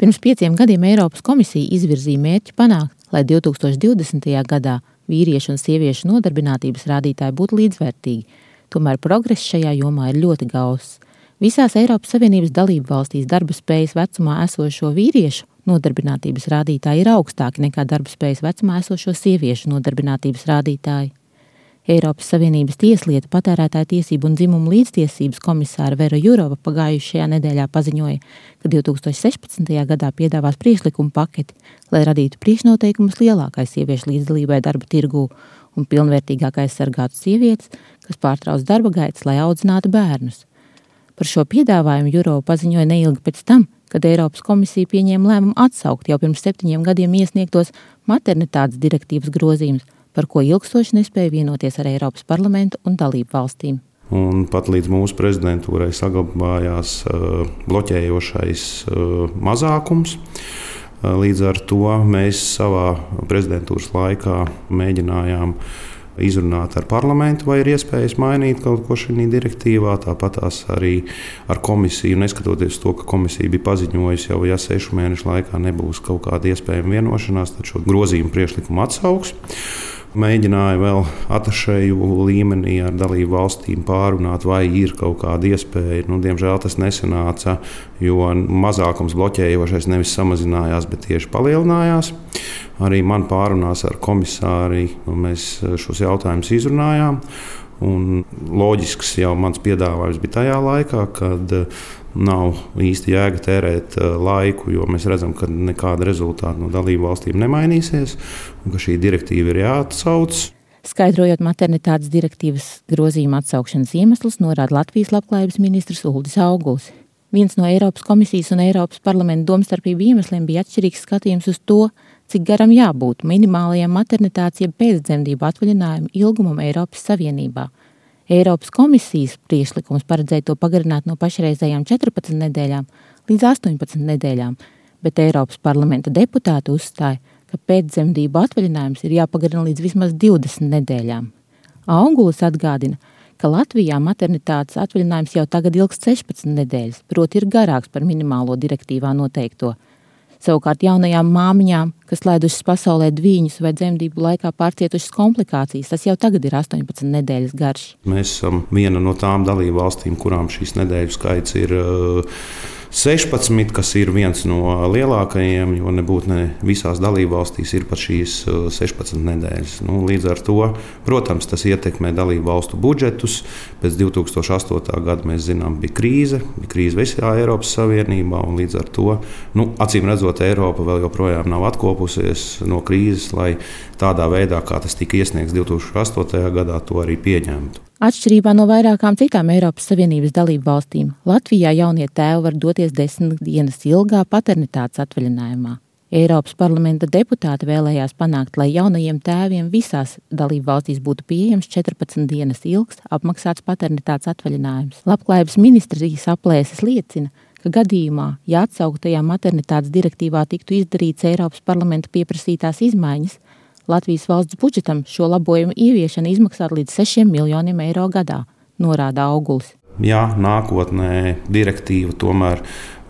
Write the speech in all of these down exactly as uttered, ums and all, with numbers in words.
Pirms pieciem gadiem Eiropas komisija izvirzīja mērķi panākt, lai divtūkstoš divdesmitajā gadā vīriešu un sieviešu nodarbinātības rādītāji būtu līdzvērtīgi. Tomēr progress šajā jomā ir ļoti gauss. Visās Eiropas Savienības dalību valstīs darba spējas vecumā esošo vīriešu nodarbinātības rādītāji ir augstāki nekā darba spējas vecumā esošo sieviešu nodarbinātības rādītāji. Eiropas Savienības tieslietu, patērētāju tiesību un dzimumu līdztiesības komisāra Vera Jurova pagājušajā nedēļā paziņoja, ka divtūkstoš sešpadsmitajā gadā piedāvās priekšlikumu paketi, lai radītu priekšnoteikumus lielākai sieviešu līdzdalībai darba tirgū un pilnvērtīgāk aizsargātu sievietes, kas pārtrauc darba gaitas, lai audzinātu bērnus. Par šo piedāvājumu Jurova paziņoja neilgi pēc tam, kad Eiropas komisija pieņēma lēmumu atsaukt jau pirms septiņiem gadiem iesniegtos maternitātes direktīvas grozījumus, par ko ilgstoši nespēja vienoties ar Eiropas parlamentu un dalību valstīm. Un pat līdz mūsu prezidentūrai saglabājās uh, bloķējošais uh, mazākums. Uh, līdz ar to mēs savā prezidentūras laikā mēģinājām izrunāt ar parlamentu, vai ir iespējas mainīt kaut ko šajā direktīvā. Tāpat arī ar komisiju, neskatoties to, ka komisija bija paziņojusi jau, ja sešu mēnešu laikā nebūs kaut kāda iespējama vienošanās, tad šo grozījumu priekšlikumu atsauks. Mēģināja vēl atašēju līmenī ar dalību valstīm pārunāt, vai ir kaut kāda iespēja. Nu, diemžēl tas nesanāca, jo mazākums bloķējošais nevis samazinājās, bet tieši palielinājās. Arī man pārunās ar komisāri mēs šos jautājumus izrunājām. Un loģisks jau mans piedāvājums bija tajā laikā, kad nav īsti jēga tērēt laiku, jo mēs redzam, ka nekāda rezultāta no dalību valstīm nemainīsies un ka šī direktīva ir jāatsauc. Skaidrojot maternitātes direktīvas grozījuma atsaukšanas iemeslus, norāda Latvijas labklājības ministrs Uldis Auguls. Viens no Eiropas komisijas un Eiropas parlamenta domstarpību iemesliem bija atšķirīgs skatījums uz to, cik garam jābūt minimālajiem maternitātes jeb pēcdzemdību atvaļinājumu ilgumam Eiropas Savienībā. Eiropas komisijas priekšlikums paredzēja to pagarināt no pašreizējām četrpadsmit nedēļām līdz astoņpadsmit nedēļām, bet Eiropas parlamenta deputāti uzstāja, ka pēcdzemdību atvaļinājums ir jāpagarina līdz vismaz divdesmit nedēļām. Augulis atgādina, ka Latvijā maternitātes atvaļinājums jau tagad ilgst sešpadsmit nedēļas, proti ir garāks par minimālo direktīvā noteikto. Savukārt jaunajām māmiņām, kas laidušas pasaulē dvīņus vai dzemdību laikā pārcietušas komplikācijas, tas jau tagad ir astoņpadsmit nedēļas garš. Mēs esam viena no tām dalību valstīm, kurām šīs nedēļu skaits ir sešpadsmit, kas ir viens no lielākajiem, jo nebūtu ne visās dalību valstīs ir pat šīs sešpadsmit nedēļas. Nu, līdz ar to, protams, tas ietekmē dalību valstu budžetus. Pēc divtūkstoš astotā gada mēs zinām, bija krīze, bija krīze visā Eiropas Savienībā, un līdz ar to, nu, acīm redzot, Eiropa vēl joprojām nav atkopusies no krīzes, lai tādā veidā, kā tas tika iesniegts divtūkstoš astotajā gadā, to arī pieņemtu. Atšķirībā no vairākām citām Eiropas Savienības dalību valstīm, Latvijā jaunie tēvi var doties desmit dienas ilgā paternitātes atvaļinājumā. Eiropas parlamenta deputāti vēlējās panākt, lai jaunajiem tēviem visās dalību valstīs būtu pieejams četrpadsmit dienas ilgs apmaksāts paternitātes atvaļinājums. Labklājības ministrijas aplēses liecina, ka gadījumā, ja atsauktajā maternitātes direktīvā tiktu izdarīts Eiropas parlamenta pieprasītās izmaiņas, Latvijas valsts budžetam šo labojumu ieviešana izmaksātu līdz sešiem miljoniem eiro gadā, norāda Augulis. Ja nākotnē direktīva tomēr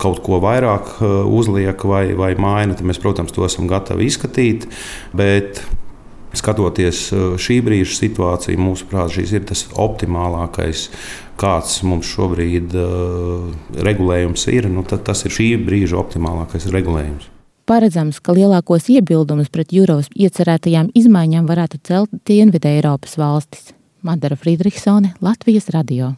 kaut ko vairāk uzliek vai, vai maina, tad mēs, protams, to esam gatavi izskatīt, bet skatoties šī brīža situāciju, mūsuprāt, šis ir tas optimālākais, kāds mums šobrīd uh, regulējums ir, nu, tad tas ir šī brīža optimālākais regulējums. Paredzams, ka lielākos iebildumus pret Jurovas iecerētajām izmaiņām varētu celt Dienvidu Eiropas valstis. Madara Friedrichsone, Latvijas radio.